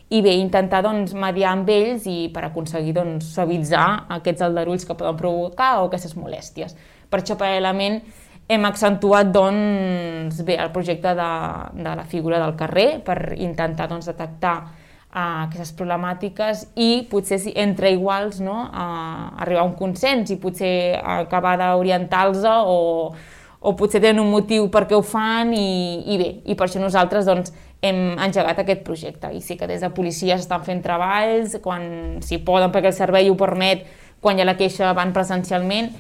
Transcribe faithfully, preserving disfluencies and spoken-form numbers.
i bé, intentar doncs, mediar amb ells i per aconseguir doncs, suavitzar aquests aldarulls que poden provocar o aquestes molèsties. Per això, paral·lelament, hem accentuat doncs, bé, el projecte de, de la figura del carrer per intentar doncs, detectar uh, aquestes problemàtiques i potser si, entre iguals no, uh, arribar a un consens i potser acabar d'orientar-los o, o potser tenen un motiu per què ho fan i, i bé, i per això nosaltres doncs, hem engegat aquest projecte i sí que des de policia s'estan fent treballs quan s'hi poden perquè el servei ho permet, quan hi ha la queixa van presencialment.